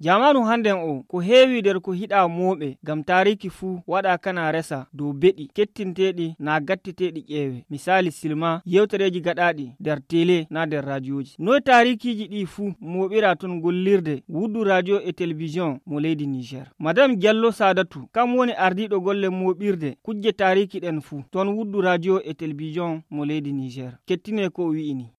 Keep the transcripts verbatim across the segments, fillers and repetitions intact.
Jamaanu hannden o ko heewi nder ko hiɗaa mooɓe ngam taariiki fuu waɗa kana resa dow beɗi kettinteeɗi naa gatteteeɗi ƴeewe. Misaali silma yewtereeji gaɗaaɗi nder tele naa nder raadiyoji. Noy taariikiiji ɗi fuu mooɓira ton gollirde wuddu raadiyo e telebisiyon mo leydi Niger. Madame Diallo Sadatu kam woni ardiiɗo golle mooɓirde kujje taariiki ɗen fuu ton wuddu raadiyo e telebisiyon mo leydi Niger. Kettine ko o wi'ini.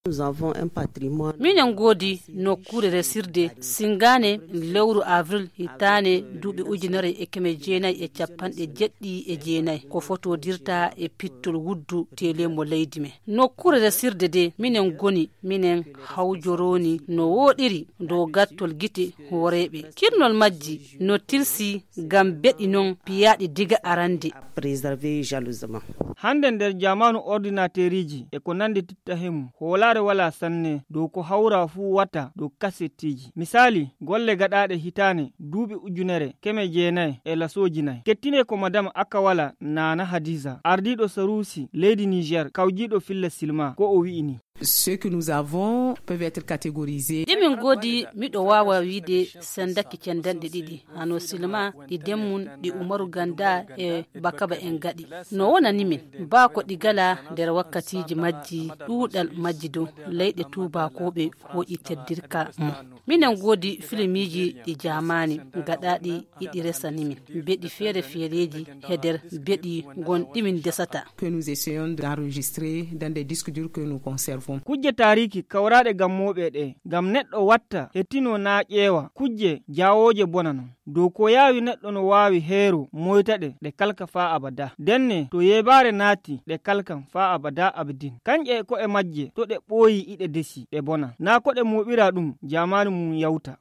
Minen ngoodi nokkuure resirde singaane lewru avril hitaane duuɓi ujunere e keme jeenayi e capanɗe jeɗɗi e jeenayi ko fotodirta e pittol wuddu tele mo leydi men. Nokkuure resirde de minen ngoni minen hawjoroni no wooɗiri dow gattol gite hooreeɓe. Kirnol majji no tilsi ngam beɗi non piyaaɗi diga arande. Préserver jalousement. Hannde nder jamaanu ordinateeriji e ko nanndi titta hemu, hoolaare walaa sanne dow ko hawra fuu wata dow kasettiiji. Misaali, golle gaɗaaɗe hitaane duuɓi ujunere keme jeenayi e lasooji nayi. Kettine ko Madame Akawala Nana Hadiza, ardiiɗo Saruusi leydi Niger, kawjiiɗo filla silma, ko o wi'i ni. Ceux que nous avons peuvent être catégorisés. Ɗi min ngoodi, miɗo waawa wiide sendaki cendanɗe ɗiɗi, hano silma, ɗi Demmun, ɗi Umaru Ganda e Bakaba en gaɗi. No wonani min, baa ko ɗi gala nder wakkatiiji majji, ɗuuɗal majji dow leyɗe tuubakooɓe hooƴi teddirka mum. Minen ngoodi filmiiji ɗi jaamaani gaɗaaɗi iɗi resani min beɗi feere-feereeji he nder beɗi gon ɗi min ndesata. Que nous essayons d'enregistrer dans des disques durs que nous conservons. Kujje taariiki kawraaɗe ngam mooɓe ɗe, ngam neɗɗo watta, hettino naa ƴeewa, kujje jaawooje bona non. Dow ko yaawi neɗɗo no waawi heero moyta ɗe, ɗe kalka faa abada. Ndenne, to yeebaare naati, ɗe kalkan faa abada abadin. Kanƴe e ko'e majje, to ɗe ɓooyi iɗe desi, ɗe bona. Naa ko ɗe mooɓira ɗum, jaamaanu mum yawta.